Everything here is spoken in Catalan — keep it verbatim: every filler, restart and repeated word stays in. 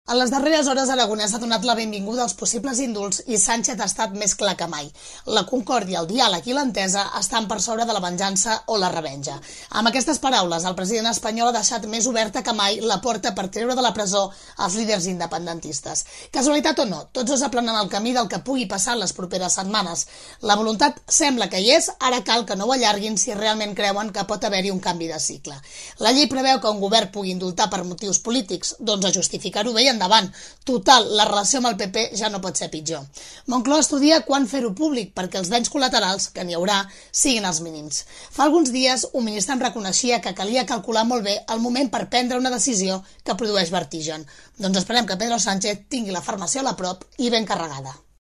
En les darreres hores, Aragonès ha donat la benvinguda als possibles indults i Sánchez ha estat més clar que mai. La concòrdia, el diàleg i l'entesa estan per sobre de la venjança o la revenja. Amb aquestes paraules, el president espanyol ha deixat més oberta que mai la porta per treure de la presó els líders independentistes. Casualitat o no, tots dos aplanen el camí del que pugui passar les properes setmanes. La voluntat sembla que hi és, ara cal que no ho allarguin si realment creuen que pot haver-hi un canvi de cicle. La llei preveu que un govern pugui indultar per motius polítics, doncs a justificar-ho bé endavant. Total, la relació amb el P P ja no pot ser pitjor. Moncloa estudia quan fer-ho públic perquè els danys col·laterals, que n'hi haurà, siguin els mínims. Fa alguns dies, un ministre em reconeixia que calia calcular molt bé el moment per prendre una decisió que produeix vertigen. Doncs esperem que Pedro Sánchez tingui la farmaciola a prop i ben carregada.